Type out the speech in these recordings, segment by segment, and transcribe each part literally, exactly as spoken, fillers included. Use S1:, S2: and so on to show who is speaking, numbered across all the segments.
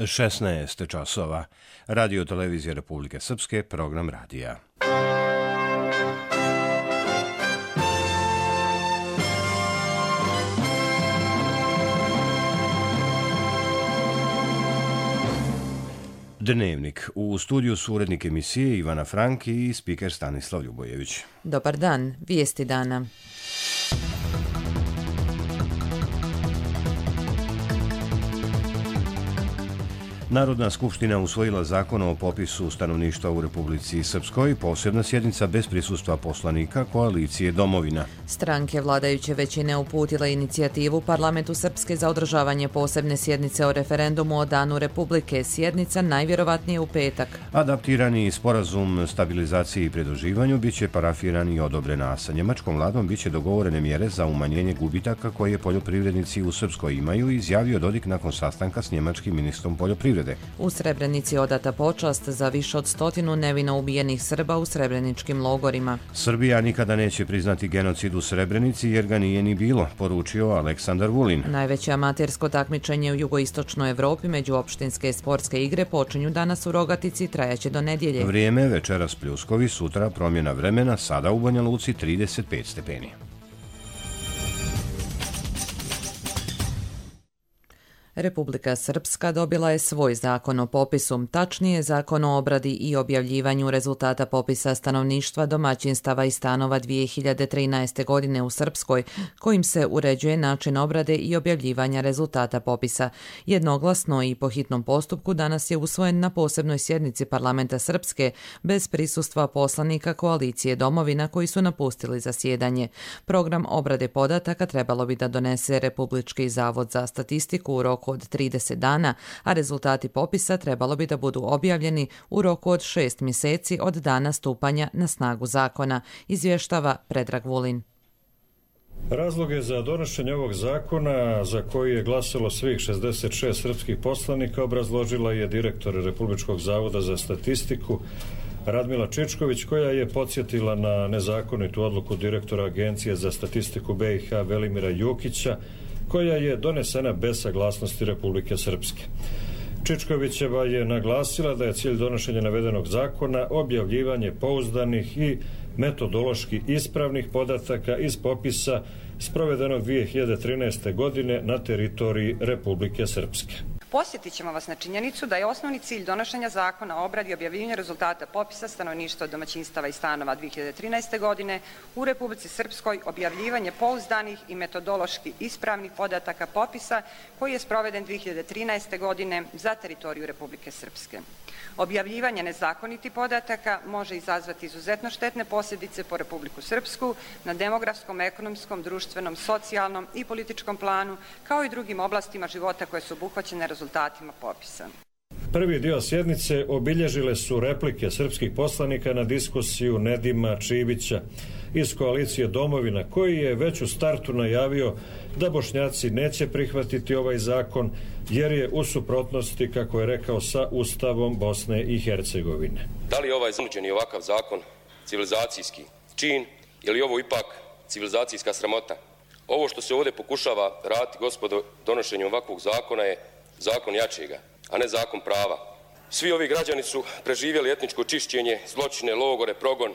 S1: šesnaest časova. Radio televizija Republike Srpske, program radija. Dnevnik. U studiju su urednik emisije Ivana Frank i spiker Stanislav Ljubojević.
S2: Dobar dan, vijesti dana.
S1: Narodna skupština usvojila zakon o popisu stanovništva u Republici Srpskoj, posebna sjednica bez prisustva poslanika koalicije Domovina.
S2: Stranke vladajuće većine uputile inicijativu Parlamentu Srpske za održavanje posebne sjednice o referendumu o Danu Republike. Sjednica najvjerovatnije u petak.
S1: Adaptirani sporazum stabilizaciji i pridruživanju biće parafiran i odobren, a sa njemačkom vladom biće dogovorene mjere za umanjenje gubitaka koje poljoprivrednici u Srpskoj imaju, izjavio Dodik nakon sastanka s njemačkim ministrom poljoprivrede.
S2: U Srebrenici odata počast za više od stotinu nevino ubijenih Srba u srebreničkim logorima.
S1: Srbija nikada neće priznati genocid u Srebrenici jer ga nije ni bilo, poručio Aleksandar Vulin.
S2: Najveće amatersko takmičenje u jugoistočnoj Evropi međuopštinske sportske igre počinju danas u Rogatici i trajaće do nedjelje.
S1: Vrijeme večeras pljuskovi, sutra promjena vremena, sada u Banja Luci trideset pet stepeni.
S2: Republika Srpska dobila je svoj zakon o popisu, tačnije zakon o obradi i objavljivanju rezultata popisa stanovništva, domaćinstava i stanova dvije hiljade trinaeste. godine u Srpskoj, kojim se uređuje način obrade i objavljivanja rezultata popisa. Jednoglasno i po hitnom postupku danas je usvojen na posebnoj sjednici Parlamenta Srpske bez prisustva poslanika koalicije Domovina koji su napustili zasjedanje. Program obrade podataka trebalo bi da donese Republički zavod za statistiku u roku od trideset dana, a rezultati popisa trebalo bi da budu objavljeni u roku od šest mjeseci od dana stupanja na snagu zakona, izvještava Predrag Vulin.
S3: Razloge za donošenje ovog zakona, za koji je glasalo svih šezdeset šest srpskih poslanika, obrazložila je direktor Republičkog zavoda za statistiku Radmila Čičković, koja je podsjetila na nezakonitu odluku direktora Agencije za statistiku B i H Velimira Jukića, koja je donesena bez saglasnosti Republike Srpske. Čičkovićeva je naglasila da je cilj donošenja navedenog zakona objavljivanje pouzdanih i metodološki ispravnih podataka iz popisa sprovedenog dvije hiljade trinaeste. godine na teritoriji Republike Srpske.
S4: Posjetit ćemo vas na činjenicu da je osnovni cilj donošenja zakona o obradi i objavljivanju rezultata popisa stanovništva, domaćinstava i stanova dvije hiljade trinaeste. godine u Republici Srpskoj objavljivanje pouzdanih i metodološki ispravnih podataka popisa koji je sproveden dvije hiljade trinaeste. godine za teritoriju Republike Srpske. Objavljivanje nezakonitih podataka može izazvati izuzetno štetne posljedice po Republiku Srpsku na demografskom, ekonomskom, društvenom, socijalnom i političkom planu, kao i drugim oblastima života koje su obuhvaćene rezultatima popisa.
S3: Prvi dio sjednice obilježile su replike srpskih poslanika na diskusiju Nedima Čivića iz koalicije Domovina, koji je već u startu najavio da Bošnjaci neće prihvatiti ovaj zakon jer je u suprotnosti, kako je rekao, sa Ustavom Bosne i Hercegovine.
S5: Da li je ovaj zanuđeni ovakav zakon civilizacijski čin ili ovo ipak civilizacijska sramota? Ovo što se ovdje pokušava raditi, gospodo, donošenjem ovakvog zakona je zakon jačega, a ne zakon prava. Svi ovi građani su preživjeli etničko čišćenje, zločine, logore, progon,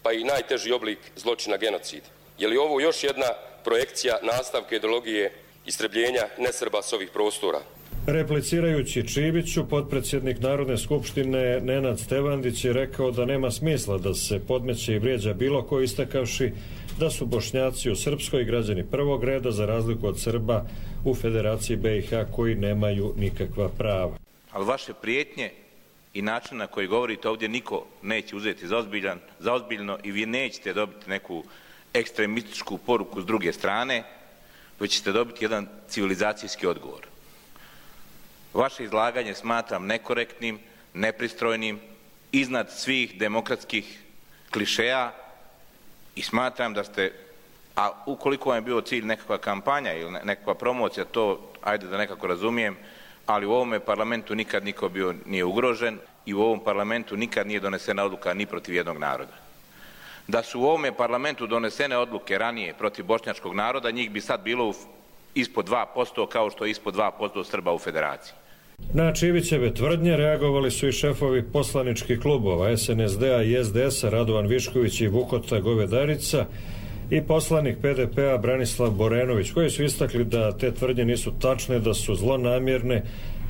S5: pa i najteži oblik zločina genocid. Je li ovo još jedna projekcija nastavka ideologije istrebljenja nesrba s ovih prostora?
S3: Replicirajući Čiviću, potpredsjednik Narodne skupštine Nenad Stevandić je rekao da nema smisla da se podmeće i vrijeđa bilo ko, istakavši da su Bošnjaci u Srpskoj građani prvog reda za razliku od Srba u Federaciji B i H koji nemaju nikakva prava.
S6: Ali vaše prijetnje i način na koji govorite ovdje niko neće uzeti za, ozbiljan, za ozbiljno i vi nećete dobiti neku ekstremističku poruku s druge strane, već ćete dobiti jedan civilizacijski odgovor. Vaše izlaganje smatram nekorektnim, nepristrojnim, iznad svih demokratskih klišeja i smatram da ste, a ukoliko vam je bio cilj nekakva kampanja ili nekakva promocija, to ajde da nekako razumijem, ali u ovome parlamentu nikad niko bio nije ugrožen i u ovom parlamentu nikad nije donesena odluka ni protiv jednog naroda. Da su u ovome parlamentu donesene odluke ranije protiv bošnjačkog naroda, njih bi sad bilo ispod dva posto kao što je ispod dva posto Srba u Federaciji.
S3: Na Čivićeve tvrdnje reagovali su i šefovi poslaničkih klubova S N S D-a i S D S-a Radovan Višković i Vukota Govedarica i poslanik P D P-a Branislav Borenović, koji su istakli da te tvrdnje nisu tačne, da su zlonamjerne,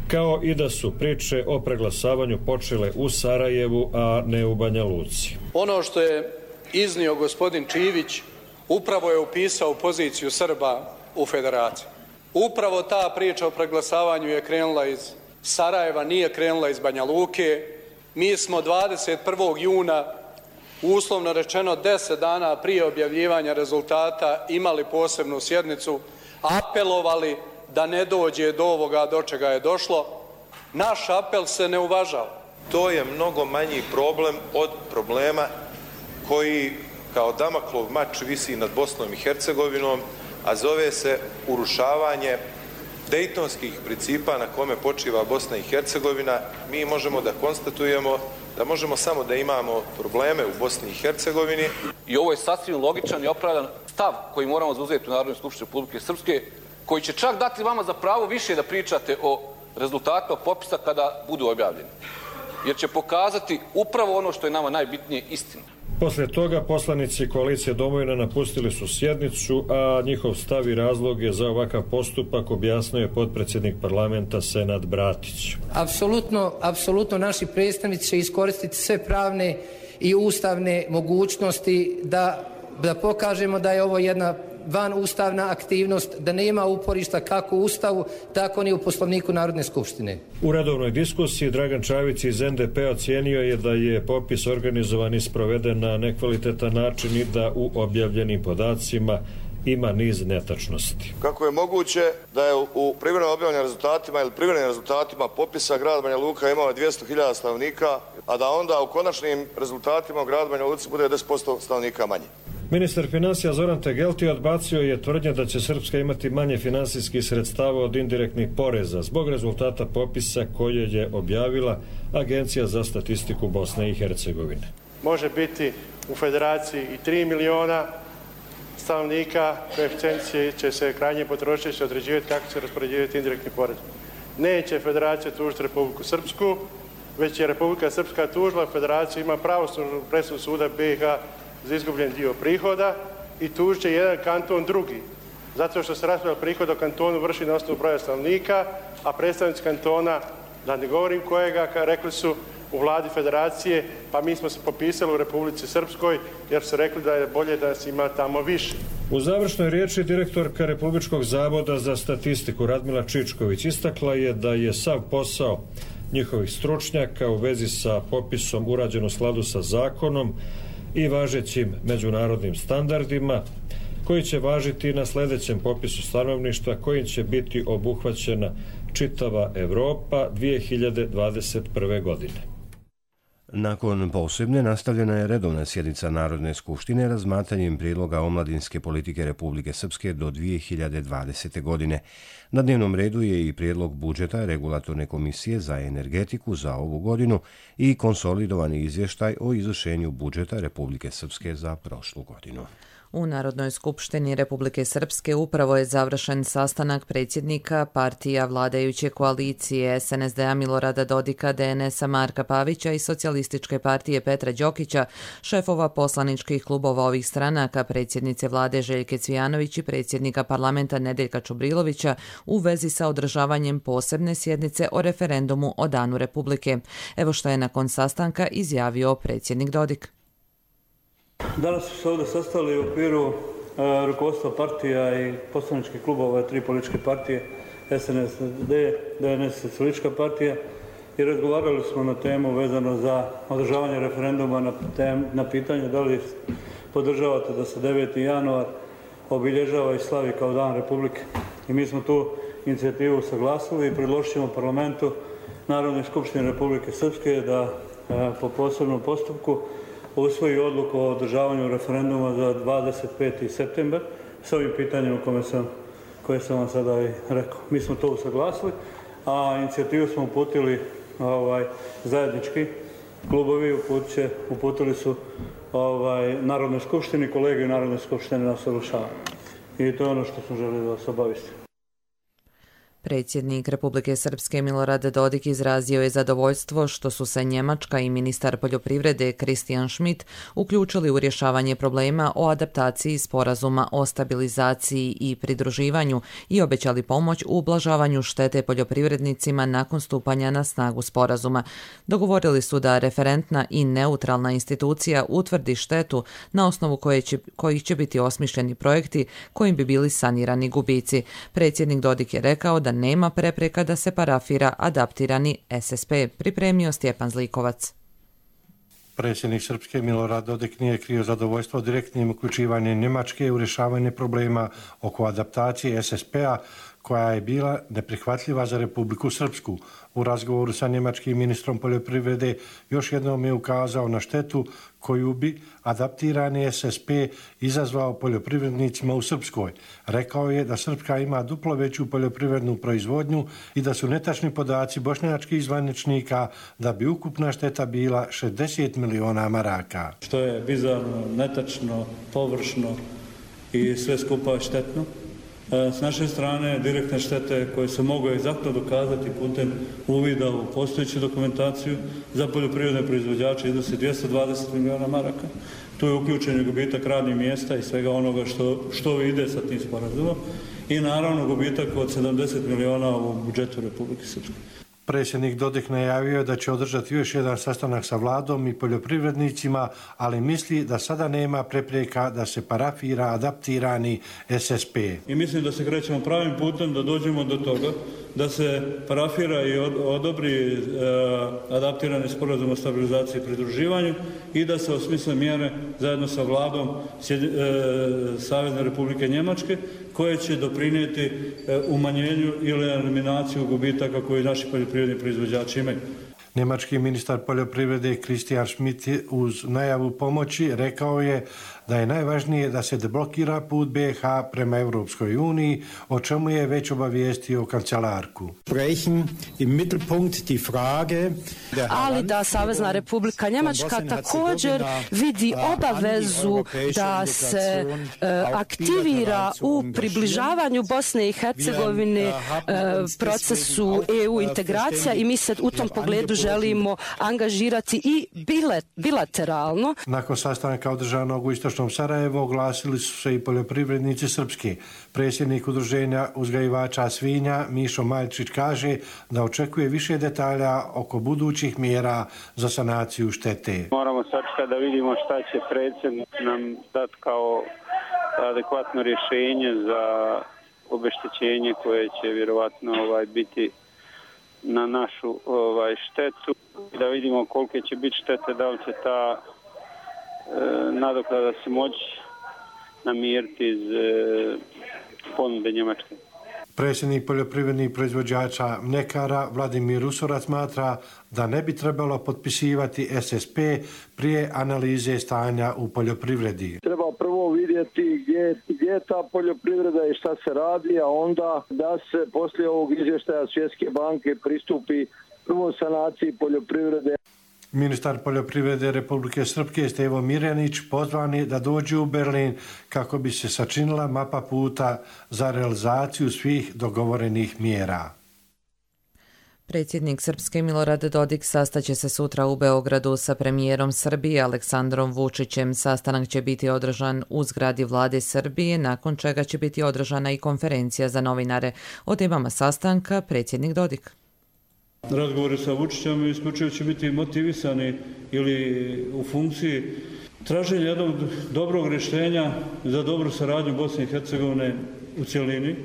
S3: kao i da su priče o preglasavanju počele u Sarajevu, a ne u Banja Luci.
S7: Ono što je iznio gospodin Čivić upravo je upisao poziciju Srba u Federaciji. Upravo ta priča o preglasavanju je krenula iz Sarajeva, nije krenula iz Banja Luke. Mi smo dvadeset prvog juna, uslovno rečeno deset dana prije objavljivanja rezultata, imali posebnu sjednicu, apelovali da ne dođe do ovoga do čega je došlo. Naš apel se ne uvažava.
S8: To je mnogo manji problem od problema koji kao Damaklov mač visi nad Bosnom i Hercegovinom, a zove se urušavanje dejtonskih principa na kome počiva Bosna i Hercegovina. Mi možemo da konstatujemo da možemo samo da imamo probleme u Bosni i Hercegovini.
S9: I ovo je sasvim logičan i opravdan stav koji moramo zauzeti u Narodnoj skupštini Republike Srpske, koji će čak dati vama za pravo više da pričate o rezultatima popisa kada budu objavljeni. Jer će pokazati upravo ono što je nama najbitnije, istinu.
S3: Poslije toga poslanici koalicije Domovina napustili su sjednicu, a njihov stav i razloge za ovakav postupak objasnio je potpredsjednik parlamenta Senad Bratić.
S10: Apsolutno, apsolutno naši predstavnici će iskoristiti sve pravne i ustavne mogućnosti da, da pokažemo da je ovo jedna van ustavna aktivnost, da nema uporišta kako u Ustavu, tako ni u Poslovniku Narodne skupštine.
S3: U redovnoj diskusiji Dragan Čavić iz N D P ocijenio je da je popis organizovan i sproveden na nekvalitetan način i da u objavljenim podacima ima niz netačnosti.
S11: Kako je moguće da je u privremeno objavljenim rezultatima ili privremenim rezultatima popisa grad Banja Luka imao dvjesto hiljada stanovnika, a da onda u konačnim rezultatima u gradu Banja Luci bude deset posto stanovnika manje?
S3: Ministar financija Zoran Tegelti odbacio je tvrdnje da će Srpska imati manje finansijskih sredstava od indirektnih poreza zbog rezultata popisa koje je objavila Agencija za statistiku Bosne i Hercegovine.
S12: Može biti u federaciji i tri miliona stanovnika, koeficijent će se krajnje potrošiti, će određivati kako će raspoređivati indirektni porez. Neće federacija tužiti Republiku Srpsku, već je Republika Srpska tužila, federacija ima pravosnažnu presudu suda B i H za izgubljen dio prihoda i tužit će jedan kanton drugi. Zato što se raspodjela prihoda o kantonu vrši na osnovu broja stanovnika, a predstavnici kantona, da ne govorim kojega, rekli su u vladi federacije, pa mi smo se popisali u Republici Srpskoj jer su rekli da je bolje da nas ima tamo više.
S3: U završnoj riječi direktorka Republičkog zavoda za statistiku Radmila Čičković istakla je da je sav posao njihovih stručnjaka u vezi sa popisom urađen u skladu sa zakonom i važećim međunarodnim standardima, koji će važiti na sljedećem popisu stanovništva kojim će biti obuhvaćena čitava Evropa dvije hiljade dvadeset prve. godine.
S1: Nakon posebne nastavljena je redovna sjednica Narodne skupštine razmatranjem prijedloga omladinske politike Republike Srpske do dvije hiljade dvadesete. godine. Na dnevnom redu je i prijedlog budžeta Regulatorne komisije za energetiku za ovu godinu i konsolidovani izvještaj o izvršenju budžeta Republike Srpske za prošlu godinu.
S2: U Narodnoj skupštini Republike Srpske upravo je završen sastanak predsjednika partija vladajuće koalicije S N S D-a Milorada Dodika, D N S-a Marka Pavića i Socijalističke partije Petra Đokića, šefova poslaničkih klubova ovih stranaka, predsjednice vlade Željke Cvijanović i predsjednika parlamenta Nedeljka Čubrilovića u vezi sa održavanjem posebne sjednice o referendumu o Danu Republike. Evo što je nakon sastanka izjavio predsjednik Dodik.
S13: Danas su se ovdje sastali u okviru uh, rukovodstva partija i poslaničkih klubova tri političke partije, S N S D, D N S, Socijalistička partija, i razgovarali smo na temu vezano za održavanje referenduma na, tem, na pitanje da li podržavate da se deveti januar obilježava i slavi kao Dan Republike. I mi smo tu inicijativu saglasili i predložit ćemo parlamentu Narodne skupštine Republike Srpske da uh, po posebnom postupku usvoji odluku o održavanju referenduma za dvadeset peti septembar s ovim pitanjem kome sam, koje sam vam sada i rekao. Mi smo to usaglasili, a inicijativu smo uputili ovaj, zajednički klubovi, uputiće, uputili su ovaj, Narodnoj skupštini, kolege Narodne skupštine na usaglašavanje. I to je ono što smo želeli da vas obavistim.
S2: Predsjednik Republike Srpske Milorad Dodik izrazio je zadovoljstvo što su se Njemačka i ministar poljoprivrede Christian Schmidt uključili u rješavanje problema o adaptaciji sporazuma o stabilizaciji i pridruživanju i obećali pomoć u ublažavanju štete poljoprivrednicima nakon stupanja na snagu sporazuma. Dogovorili su da referentna i neutralna institucija utvrdi štetu na osnovu koje će, kojih će biti osmišljeni projekti kojim bi bili sanirani gubici. Predsjednik Dodik je rekao da nema prepreka da se parafira adaptirani S S P, pripremio Stjepan Zlikovac.
S14: Predsjednik Srpske Milorad Dodik nije krio zadovoljstvo direktnim uključivanjem Njemačke u rješavanje problema oko adaptacije S S P-a koja je bila neprihvatljiva za Republiku Srpsku. U razgovoru sa njemačkim ministrom poljoprivrede još jednom je ukazao na štetu koju bi adaptirani S S P izazvao poljoprivrednicima u Srpskoj. Rekao je da Srpska ima duplo veću poljoprivrednu proizvodnju i da su netačni podaci bošnjačkih zvaničnika da bi ukupna šteta bila šezdeset miliona maraka.
S13: Što je bizarno, netačno, površno i sve skupa štetno. S naše strane direktne štete koje se mogu egzaktno dokazati putem uvida u postojeću dokumentaciju za poljoprivredne proizvođače iznosi dvjesto dvadeset miliona maraka. Tu je uključen gubitak radnih mjesta i svega onoga što, što ide sa tim sporazumom i naravno gubitak od sedamdeset miliona u budžetu Republike Srpske.
S14: Predsjednik Dodik najavio da će održati još jedan sastanak sa vladom i poljoprivrednicima, ali misli da sada nema prepreka da se parafira adaptirani S S P.
S13: I mislim da se krećemo pravim putem da dođemo do toga da se parafira i odobri e, adaptirani sporazum o stabilizaciji i pridruživanju i da se osmisle mjere zajedno sa vladom e, Savezne Republike Njemačke koje će doprinijeti e, umanjenju ili eliminaciju gubitaka koje naši poljoprivredni proizvođači imaju.
S14: Njemački ministar poljoprivrede Christian Schmidt uz najavu pomoći rekao je da je najvažnije da se deblokira put B i H prema Europskoj uniji, o čemu je već obavijestio kancelarku.
S15: Ali da Savezna Republika Njemačka također vidi obavezu da se aktivira u približavanju Bosne i Hercegovine procesu E U integracija i mi se u tom pogledu želimo angažirati i bilateralno.
S14: Nakon sastanka održanog u istočnom Sarajevu oglasili su se i poljoprivrednici Srpske. Predsjednik udruženja uzgajivača svinja Mišo Maljčić kaže da očekuje više detalja oko budućih mjera za sanaciju štete.
S16: Moramo sačekati da vidimo šta će predsjednik nam dati kao adekvatno rješenje za obeštećenje koje će vjerovatno ovaj, biti na našu ovaj, štetu, da vidimo kolike će biti štete, da li će ta e, nadoknada se moći namiriti iz e, ponude Njemačke.
S14: Predsjednik poljoprivrednih proizvođača mljekara Vladimir Usorac smatra da ne bi trebalo potpisivati S S P prije analize stanja u poljoprivredi.
S17: Treba prvo vidjeti gdje, gdje je ta poljoprivreda i šta se radi, a onda da se poslije ovog izvještaja Svjetske banke pristupi prvo sanaciji poljoprivrede.
S14: Ministar poljoprivrede Republike Srpske Stevo Mirjanić pozvan je da dođe u Berlin kako bi se sačinila mapa puta za realizaciju svih dogovorenih mjera.
S2: Predsjednik Srpske Milorad Dodik sastaće se sutra u Beogradu sa premijerom Srbije Aleksandrom Vučićem. Sastanak će biti održan u zgradi vlade Srbije, nakon čega će biti održana i konferencija za novinare. O temama sastanka predsjednik Dodik.
S13: Razgovori sa Vučićem isključivo će biti motivisani ili u funkciji traženja jednog dobrog rješenja za dobru saradnju Bosne i Hercegovine u cjelini,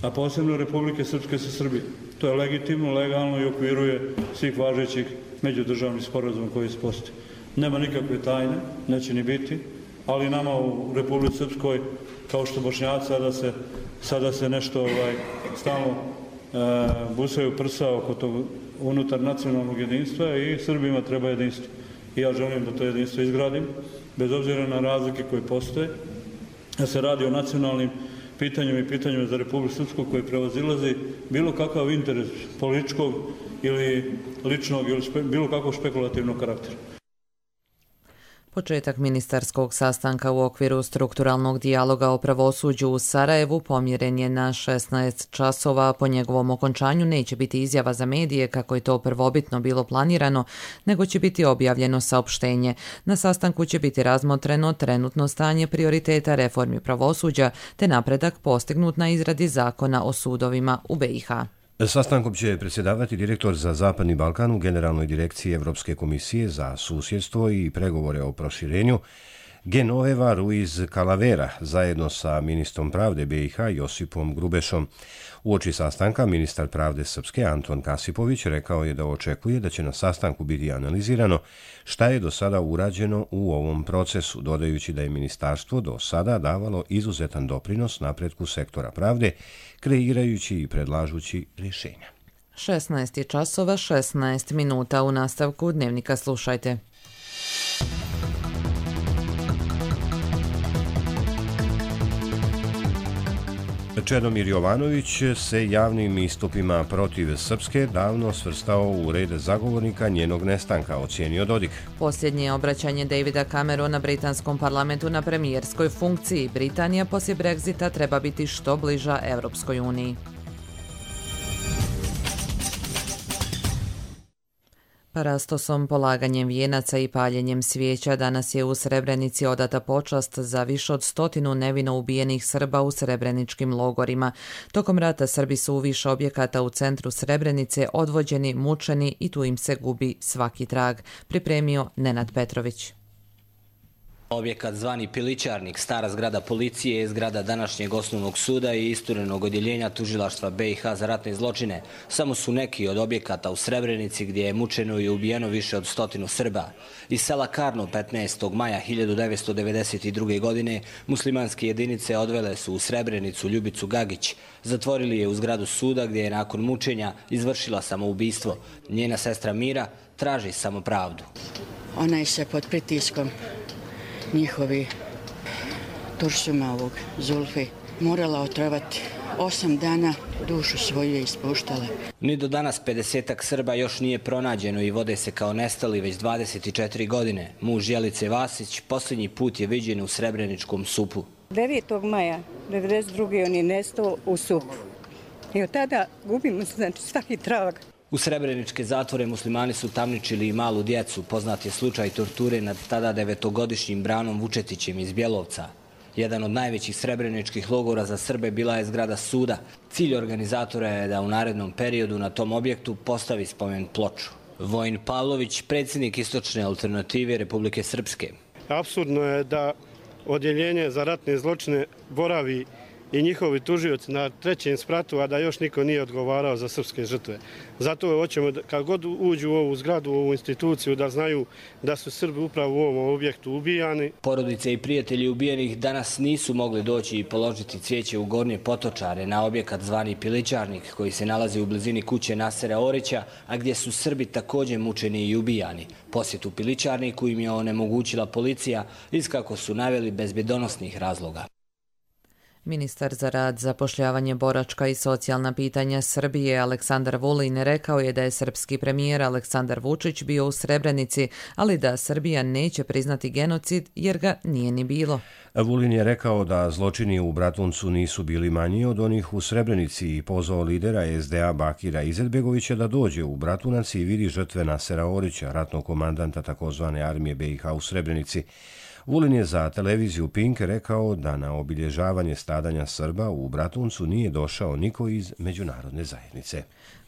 S13: a posebno Republike Srpske sa Srbije. To je legitimno, legalno i okviruje svih važećih međudržavnih sporazuma koji se postoje. Nema nikakve tajne, neće ni biti, ali nama u Republici Srpskoj, kao što Bošnjaci, sada se, sada se nešto ovaj, stalno e, busaju prsa oko tog unutar nacionalnog jedinstva i Srbima treba jedinstvo. I ja želim da to jedinstvo izgradim, bez obzira na razlike koje postoje, da se radi o nacionalnim pitanjima i pitanjima za Republiku Srpsku koji prevazilazi bilo kakav interes političkog ili ličnog ili špe, bilo kakvog špekulativnog karaktera.
S2: Početak ministarskog sastanka u okviru strukturalnog dijaloga o pravosuđu u Sarajevu pomjeren je na šesnaest časova. Po njegovom okončanju neće biti izjava za medije kako je to prvobitno bilo planirano, nego će biti objavljeno saopštenje. Na sastanku će biti razmotreno trenutno stanje prioriteta reformi pravosuđa te napredak postignut na izradi zakona o sudovima u B i H.
S1: Sastankom će predsjedavati direktor za Zapadni Balkan u Generalnoj direkciji Evropske komisije za susjedstvo i pregovore o proširenju Genoveva Ruiz Calavera zajedno sa ministrom pravde B i H Josipom Grubešom. Uoči sastanka ministar pravde Srpske Anton Kasipović rekao je da očekuje da će na sastanku biti analizirano šta je do sada urađeno u ovom procesu, dodajući da je ministarstvo do sada davalo izuzetan doprinos napretku sektora pravde, kreirajući i predlažući rješenja.
S2: šesnaest časova, šesnaest minuta. U nastavku Dnevnika slušajte.
S1: Čedomir Jovanović se javnim istupima protiv Srpske davno svrstao u red zagovornika njenog nestanka, ocijenio Dodik.
S2: Posljednje obraćanje Davida Camerona britanskom parlamentu na premijerskoj funkciji. Britanija poslije Brexita treba biti što bliža Europskoj uniji. Parastosom, polaganjem vijenaca i paljenjem svijeća danas je u Srebrenici odata počast za više od stotinu nevino ubijenih Srba u srebreničkim logorima. Tokom rata Srbi su u više objekata u centru Srebrenice odvođeni, mučeni i tu im se gubi svaki trag. Pripremio Nenad Petrović.
S18: Objekat zvani Pilićarnik, stara zgrada policije, je zgrada današnjeg osnovnog suda i isturenog odjeljenja tužilaštva B i H za ratne zločine. Samo su neki od objekata u Srebrenici gdje je mučeno i ubijeno više od stotinu Srba. Iz sela Karno petnaestog maja hiljadu devetsto devedeset druge. godine muslimanske jedinice odvele su u Srebrenicu Ljubicu Gagić. Zatvorili je u zgradu suda gdje je nakon mučenja izvršila samoubistvo. Njena sestra Mira traži samo pravdu.
S19: Ona je se pod pritiskom njihovi Turšuma ovog Zulfi morala otrovati. Osam dana dušu svoju je ispuštala.
S18: Ni do danas pedesetak Srba još nije pronađeno i vode se kao nestali već dvadeset četiri godine. Muž Jelice Vasić posljednji put je viđen u Srebreničkom Supu.
S20: devetog maja devedeset druge. on je nestao u Supu. I od tada gubimo znači, svaki trag.
S18: U srebreničke zatvore muslimani su tamničili i malu djecu. Poznat je slučaj torture nad tada devetogodišnjim Branom Vučetićem iz Bjelovca. Jedan od najvećih srebreničkih logora za Srbe bila je zgrada suda. Cilj organizatora je da u narednom periodu na tom objektu postavi spomen ploču. Vojin Pavlović, predsjednik Istočne alternative Republike Srpske.
S12: Apsurdno je da odjeljenje za ratne zločine boravi i njihovi tužioci na trećem spratu, a da još niko nije odgovarao za srpske žrtve. Zato hoćemo, kad god uđu u ovu zgradu, u ovu instituciju, da znaju da su Srbi upravo u ovom objektu ubijani.
S18: Porodice i prijatelji ubijenih danas nisu mogli doći i položiti cvijeće u Gornje Potočare na objekat zvani Pilićarnik, koji se nalazi u blizini kuće Nasera Orića, a gdje su Srbi također mučeni i ubijani. Posjetu Pilićarniku im je onemogućila policija, iz kako su naveli bezbjedonosnih razloga.
S2: Ministar za rad, zapošljavanje, boračka i socijalna pitanja Srbije Aleksandar Vulin rekao je da je srpski premijer Aleksandar Vučić bio u Srebrenici, ali da Srbija neće priznati genocid jer ga nije ni bilo.
S1: Vulin je rekao da zločini u Bratuncu nisu bili manji od onih u Srebrenici i pozvao lidera S D A Bakira Izetbegovića da dođe u Bratunac i vidi žrtve Nasera Orića, ratnog komandanta takozvane armije B i H u Srebrenici. Vulin je za televiziju Pink rekao da na obilježavanje stradanja Srba u Bratuncu nije došao niko iz međunarodne zajednice.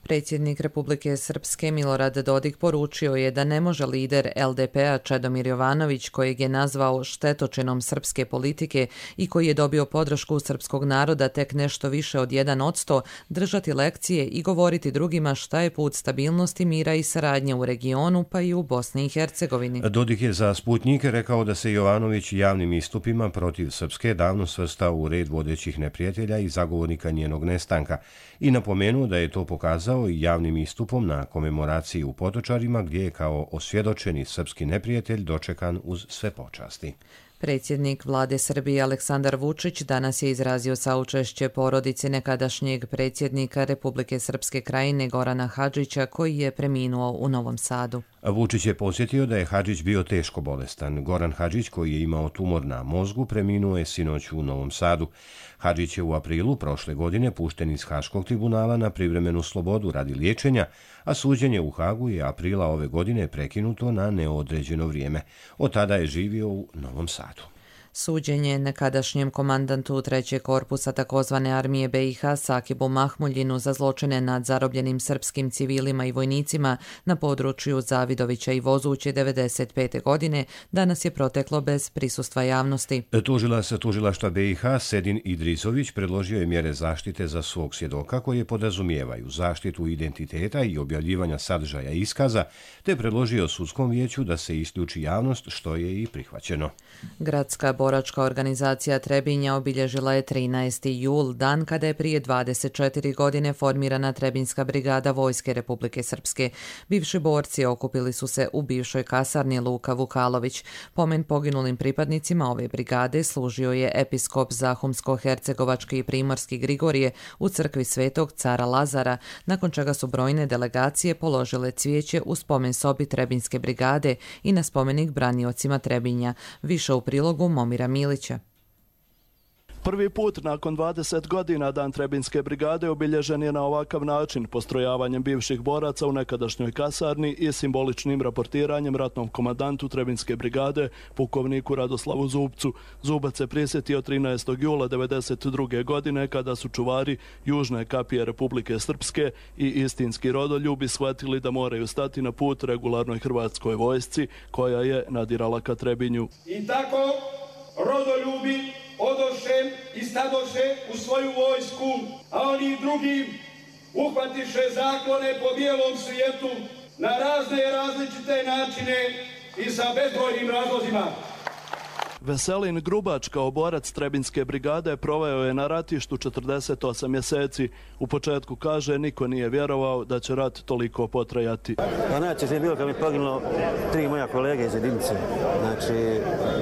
S2: Predsjednik Republike Srpske Milorad Dodik poručio je da ne može lider L D P-a Čedomir Jovanović, kojeg je nazvao štetočinom srpske politike i koji je dobio podršku srpskog naroda tek nešto više od jedan odsto, držati lekcije i govoriti drugima šta je put stabilnosti, mira i saradnje u regionu, pa i u Bosni i Hercegovini.
S1: Dodik je za Sputnjik rekao da se Jovanović javnim istupima protiv Srpske davno svrstao u red vodećih neprijatelja i zagovornika njenog nestanka i napomenuo da je to pokazao i javnim istupom na komemoraciji u Potočarima, gdje je kao osvjedočeni srpski neprijatelj dočekan uz sve počasti.
S2: Predsjednik vlade Srbije Aleksandar Vučić danas je izrazio saučešće porodici nekadašnjeg predsjednika Republike Srpske Krajine Gorana Hadžića koji je preminuo u Novom Sadu.
S1: Vučić je podsjetio da je Hadžić bio teško bolestan. Goran Hadžić, koji je imao tumor na mozgu, preminuo je sinoć u Novom Sadu. Hadžić je u aprilu prošle godine pušten iz Haškog tribunala na privremenu slobodu radi liječenja, a suđenje u Hagu je aprila ove godine prekinuto na neodređeno vrijeme. Od tada je živio u Novom Sadu.
S2: Suđenje nekadašnjem komandantu trećeg korpusa takozvane armije B i H Sakibu Mahmuljinu za zločine nad zarobljenim srpskim civilima i vojnicima na području Zavidovića i Vozuće devedeset pete godine danas je proteklo bez prisustva javnosti.
S1: Tužilac tužilaštva B i H Sedin Idrizović predložio je mjere zaštite za svog svjedoka koje podrazumijevaju zaštitu identiteta i objavljivanja sadržaja iskaza, te predložio sudskom vijeću da se isključi javnost, što je i prihvaćeno.
S2: Gradska boračka organizacija Trebinja obilježila je trinaesti jul, dan kada je prije dvadeset četiri godine formirana Trebinjska brigada Vojske Republike Srpske. Bivši borci okupili su se u bivšoj kasarni Luka Vukalović. Pomen poginulim pripadnicima ove brigade služio je episkop Zahumsko-hercegovački i primorski Grigorije u crkvi Svetog cara Lazara, nakon čega su brojne delegacije položile cvijeće u spomen sobi Trebinjske brigade i na spomenik braniocima Trebinja. Više u prilogu Momira Milića.
S21: Prvi put nakon dvadeset godina Dan Trebinjske brigade obilježen je na ovakav način, postrojavanjem bivših boraca u nekadašnjoj kasarni i simboličnim raportiranjem ratnom komandantu Trebinjske brigade, pukovniku Radoslavu Zubcu. Zubac se prisjetio trinaestog jula devedeset druge godine kada su čuvari južne kapije Republike Srpske i istinski rodoljubi shvatili da moraju stati na put regularnoj hrvatskoj vojsci koja je nadirala ka Trebinju.
S22: I tako rodoljubi odoše i stadoše u svoju vojsku, a oni drugi uhvatiše zaklone po bijelom svijetu na razne različite načine i sa bezbrojnim razlozima.
S21: Veselin Grubač kao borac Trebinjske brigade proveo je na ratištu četrdeset osam mjeseci. U početku kaže niko nije vjerovao da će rat toliko potrajati.
S23: Pa najčešće je bilo kad mi poginulo tri moja kolege iz jedinice. Znači,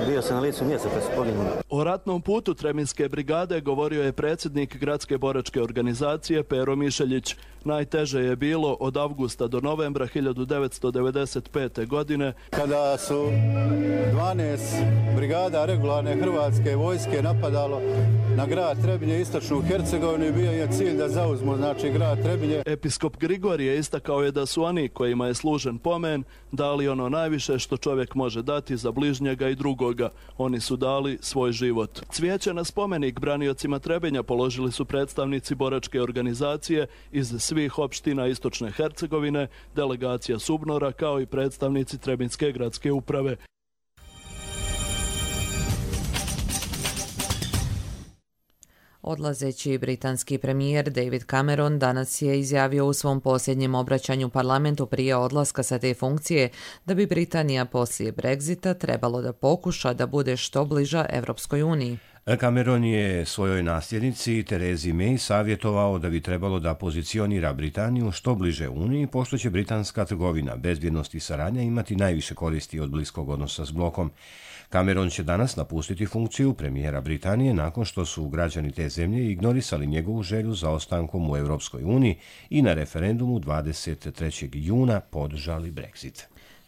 S23: bio sam na licu mjesta kad su poginuli.
S21: O ratnom putu Trebinjske brigade govorio je predsjednik Gradske boračke organizacije Pero Mišeljić. Najteže je bilo od avgusta do novembra hiljadu devetsto devedeset pete. godine.
S24: Kada su dvanaest brigada regularne hrvatske vojske napadalo na grad Trebinje, istočnu Hercegovinu, i bio je cilj da zauzmu znači grad Trebinje.
S21: Episkop Grigorije istakao je da su oni kojima je služen pomen dali ono najviše što čovjek može dati za bližnjega i drugoga. Oni su dali svoj život. Cvijeće na spomenik braniocima Trebinja položili su predstavnici boračke organizacije iz svih opština istočne Hercegovine, delegacija Subnora kao i predstavnici Trebinjske gradske uprave.
S2: Odlazeći britanski premijer David Cameron danas je izjavio u svom posljednjem obraćanju parlamentu prije odlaska sa te funkcije da bi Britanija poslije Brexita trebalo da pokuša da bude što bliža Evropskoj uniji.
S1: Cameron je svojoj nasljednici Terezi May savjetovao da bi trebalo da pozicionira Britaniju što bliže Uniji, pošto će britanska trgovina, bezbjednost i saradnja imati najviše koristi od bliskog odnosa s blokom. Cameron će danas napustiti funkciju premijera Britanije nakon što su građani te zemlje ignorisali njegovu želju za ostankom u Europskoj uniji i na referendumu dvadeset trećeg juna podržali Brexit.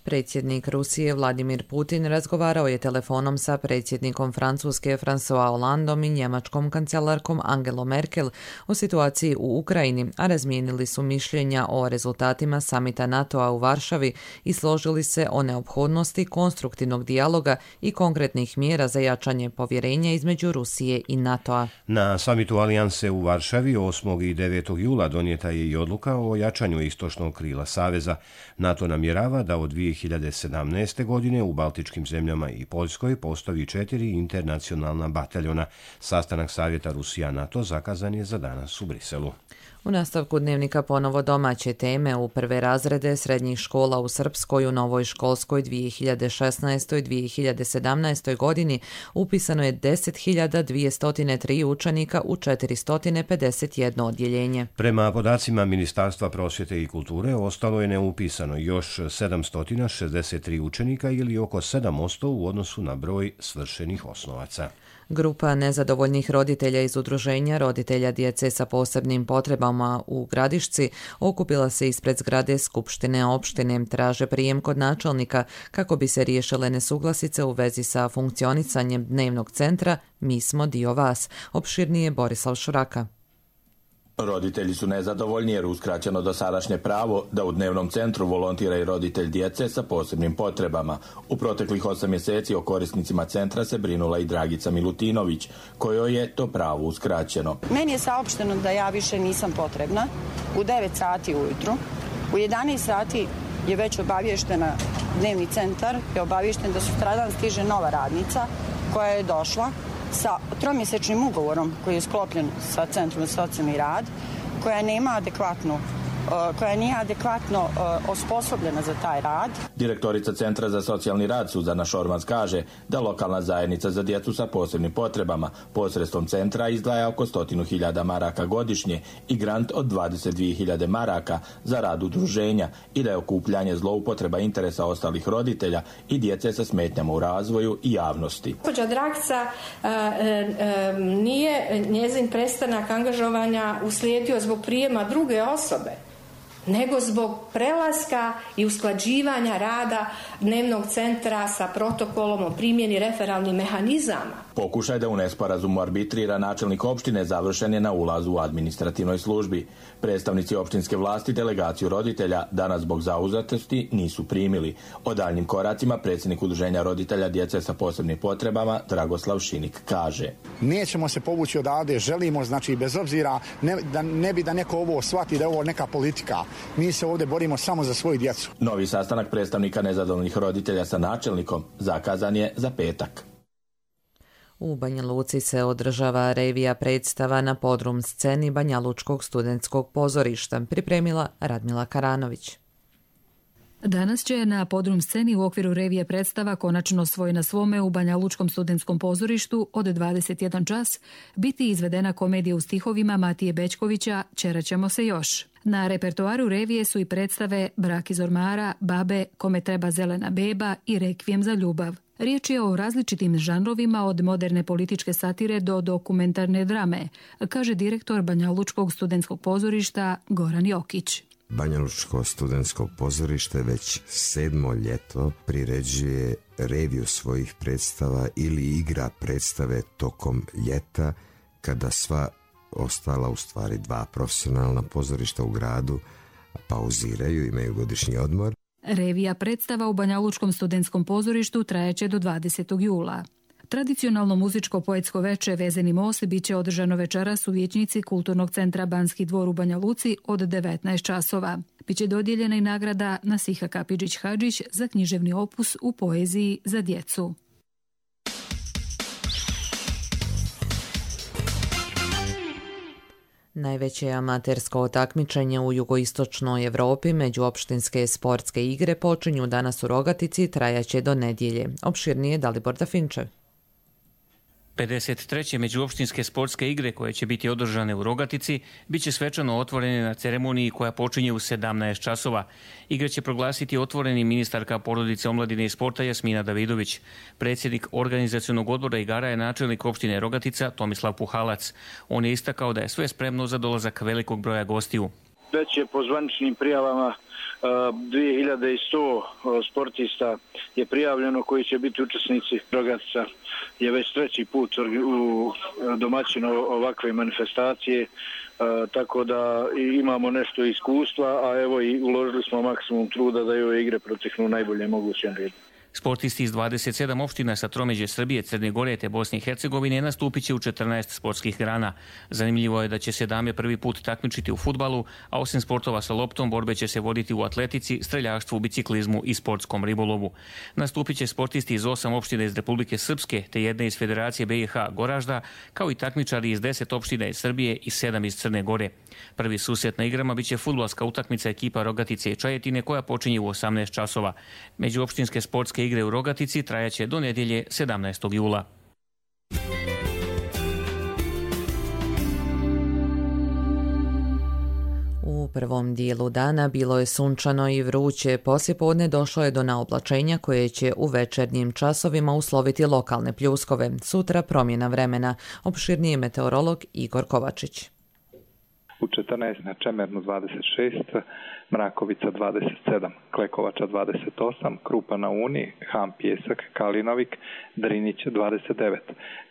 S2: Predsjednik Rusije Vladimir Putin razgovarao je telefonom sa predsjednikom Francuske François Hollandom i njemačkom kancelarkom Angelom Merkel o situaciji u Ukrajini, a razmijenili su mišljenja o rezultatima samita NATO-a u Varšavi i složili se o neophodnosti konstruktivnog dijaloga i konkretnih mjera za jačanje povjerenja između Rusije i NATO-a.
S1: Na samitu Alijanse u Varšavi osmog i devetog jula donijeta je i odluka o jačanju istočnog krila Saveza. NATO namjerava da od dvije hiljade sedamnaeste. godine u Baltičkim zemljama i Poljskoj postavi četiri internacionalna bataljona. Sastanak Savjeta Rusija-NATO zakazan je za danas u Briselu.
S2: U nastavku dnevnika ponovo domaće teme. U prve razrede srednjih škola u Srpskoj u novoj školskoj dvije hiljade šesnaestoj dvije hiljade sedamnaestoj godini upisano je deset hiljada dvjesto tri učenika u četiristo pedeset jedno odjeljenje.
S1: Prema podacima Ministarstva prosvjete i kulture ostalo je neupisano još sedamsto šezdeset tri učenika ili oko sedam posto u odnosu na broj svršenih osnovaca.
S2: Grupa nezadovoljnih roditelja iz udruženja roditelja djece sa posebnim potrebama u Gradišci okupila se ispred zgrade Skupštine opštine, traže prijem kod načelnika kako bi se riješile nesuglasice u vezi sa funkcionisanjem dnevnog centra Mi smo dio vas. Opširnije Borislav Šuraka.
S4: Roditelji su nezadovoljni jer uskraćeno dosadašnje pravo da u dnevnom centru volontira i roditelj djece sa posebnim potrebama. U proteklih osam mjeseci o korisnicima centra se brinula i Dragica Milutinović, kojoj je to pravo uskraćeno.
S5: Meni je saopšteno da ja više nisam potrebna u devet sati ujutru. U jedanaest sati je već obavještena dnevni centar, je obavješten da sutradan stiže nova radnica koja je došla sa tromjesečnim ugovorom koji je sklopljen sa Centrom za socijalni rad, koja nema adekvatnu koja nije adekvatno osposobljena za taj rad.
S4: Direktorica Centra za socijalni rad Suzana Šormaz kaže da lokalna zajednica za djecu sa posebnim potrebama posredstvom centra izdvaja oko stotinu hiljada maraka godišnje i grant od dvadeset dvije hiljade maraka za rad udruženja i da je okupljanje zloupotreba interesa ostalih roditelja i djece sa smetnjama u razvoju i javnosti.
S6: Gospođa Dragica nije njezin prestanak angažovanja uslijedio zbog prijema druge osobe, nego zbog prelaska i usklađivanja rada dnevnog centra sa protokolom o primjeni referalnih mehanizama.
S4: Pokušaj da u nesporazumu arbitrira načelnik opštine završen je na ulazu u administrativnoj službi. Predstavnici opštinske vlasti delegaciju roditelja danas zbog zauzetosti nisu primili. O daljnim koracima predsjednik udruženja roditelja djece sa posebnim potrebama Dragoslav Šinik kaže:
S7: Nećemo se povući odavde, želimo, znači bez obzira ne, da ne bi da neko ovo shvati da je ovo neka politika. Mi se ovdje borimo samo za svoju djecu.
S4: Novi sastanak predstavnika nezadovoljnih roditelja sa načelnikom zakazan je za petak.
S2: U Banja Luci se održava revija predstava na podrum sceni Banja Lučkog studentskog pozorišta, pripremila Radmila Karanović.
S25: Danas će na podrum sceni u okviru revije predstava Konačno svoj na svome u Banja Lučkom studentskom pozorištu od dvadeset jedan čas biti izvedena komedija u stihovima Matije Bećkovića Ćeraćemo se još. Na repertoaru revije su i predstave Brak iz ormara, Babe, Kome treba zelena beba i Rekvijem za ljubav. Riječ je o različitim žanrovima od moderne političke satire do dokumentarne drame, kaže direktor Banja Lučkog studentskog pozorišta Goran Jokić.
S26: Banja Lučko studentsko pozorište već sedmo ljeto priređuje reviju svojih predstava ili igra predstave tokom ljeta kada sva ostala, u stvari dva profesionalna pozorišta u gradu, pauziraju, imaju godišnji odmor.
S25: Revija predstava u Banja Lučkom studentskom pozorištu trajeće do dvadesetog jula. Tradicionalno muzičko-poetsko veče Vezeni most bit će održano večeras u vijećnici Kulturnog centra Banski dvor u Banja Luci od devetnaest časova. Biće dodijeljena i nagrada Nasiha Kapidžić-Hadžić za književni opus u poeziji za djecu.
S2: Najveće amatersko takmičenje u jugoistočnoj Europi međuopštinske sportske igre počinju danas u Rogatici i trajaće do nedjelje. Opširnije Dalibor Dafinčev.
S27: pedeset treće međuopštinske sportske igre koje će biti održane u Rogatici biće svečano otvorene na ceremoniji koja počinje u sedamnaest časova. Igre će proglasiti otvoreni ministarka porodice, omladine i sporta Jasmina Davidović. Predsjednik organizacionog odbora igara je načelnik opštine Rogatica Tomislav Puhalac. On je istakao da je sve spremno za dolazak velikog broja gostiju.
S28: Već je po zvaničnim prijavama dvije hiljade sto sportista je prijavljeno koji će biti učesnici. Rogatica je već treći put u domaćinu ovakve manifestacije, tako da imamo nešto iskustva, a evo i uložili smo maksimum truda da i ove igre proteknu najbolje mogućem redu.
S27: Sportisti iz dvadeset sedam opština sa tromeđe Srbije, Crne Gore te Bosne i Hercegovine nastupit će u četrnaest sportskih grana. Zanimljivo je da će se dame prvi put takmičiti u fudbalu, a osim sportova sa loptom, borbe će se voditi u atletici, streljaštvu, biciklizmu i sportskom ribolovu. Nastupit će sportisti iz osam opština iz Republike Srpske te jedne iz Federacije B i H Goražda, kao i takmičari iz deset opština iz Srbije i sedam iz Crne Gore. Prvi susret na igrama biće fudbalska utakmica ekipa Rogatice i Čajetine koja počinje u osamnaest časova. Međuopštinske sportske igre u Rogatici trajaće do nedjelje sedamnaestog jula.
S2: U prvom dijelu dana bilo je sunčano i vruće, poslijepodne došlo je do naoblačenja koje će u večernjim časovima usloviti lokalne pljuskove. Sutra promjena vremena. Opširniji meteorolog Igor Kovačić.
S3: U četrnaest na Čemernu dvadeset šest, Mrakovica dvadeset sedam, Klekovača dvadeset osam, Krupa na Uni, Ham Pjesak, Kalinovik, Drinić dvadeset devet,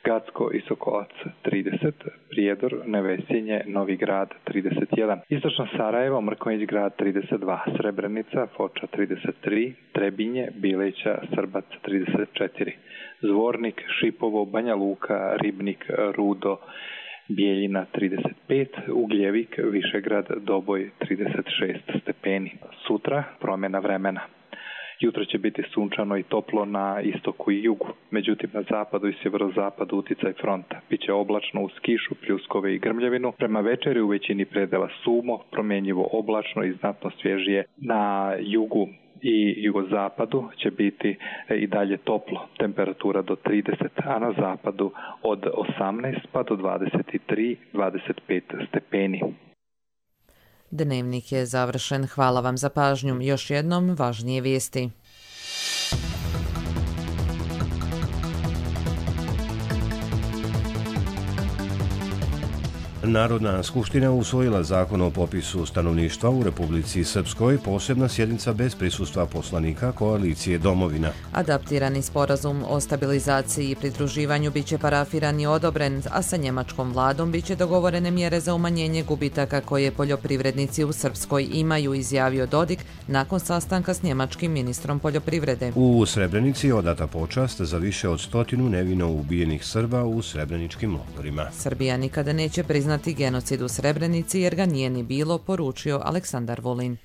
S3: Gacko i Sokolac trideset, Prijedor, Nevesinje, Novi Grad trideset jedan, Istočno Sarajevo, Mrkonjić Grad trideset dva, Srebrenica, Foča trideset tri, Trebinje, Bileća, Srbac trideset četiri, Zvornik, Šipovo, Banja Luka, Ribnik, Rudo, Bijeljina trideset pet, Ugljevik, Višegrad, Doboj trideset šest stepeni. Sutra promjena vremena. Jutro će biti sunčano i toplo na istoku i jugu, međutim na zapadu i sjeverozapadu uticaj fronta. Biće oblačno uz kišu, pljuskove i grmljavinu. Prema večeri u većini predela sumo, promjenjivo oblačno i znatno svježije. Na jugu i jugozapadu će biti i dalje toplo, temperatura do trideset, a na zapadu od osamnaest pa do dvadeset tri do dvadeset pet stepeni.
S2: Dnevnik je završen. Hvala vam za pažnju. Još jednom važnije vijesti.
S1: Narodna skupština usvojila zakon o popisu stanovništva u Republici Srpskoj, posebna sjednica bez prisustva poslanika koalicije Domovina.
S2: Adaptirani sporazum o stabilizaciji i pridruživanju biće parafiran i odobren, a sa njemačkom vladom biće dogovorene mjere za umanjenje gubitaka koje poljoprivrednici u Srpskoj imaju, izjavio Dodik nakon sastanka s njemačkim ministrom poljoprivrede.
S1: U Srebrenici je odata počast za više od stotinu nevino ubijenih Srba u srebreničkim logorima.
S2: Srbija nikada neće priznati genocid u Srebrenici jer ga nije ni bilo, poručio Aleksandar Vulin.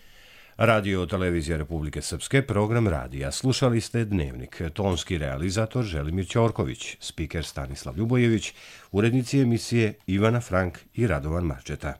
S1: Radio Televizija Republike Srpske, program radija. Slušali ste Dnevnik. Tonski realizator Želimir Ćorković, spiker Stanislav Ljubojević, urednici emisije Ivana Frank i Radovan Marčeta.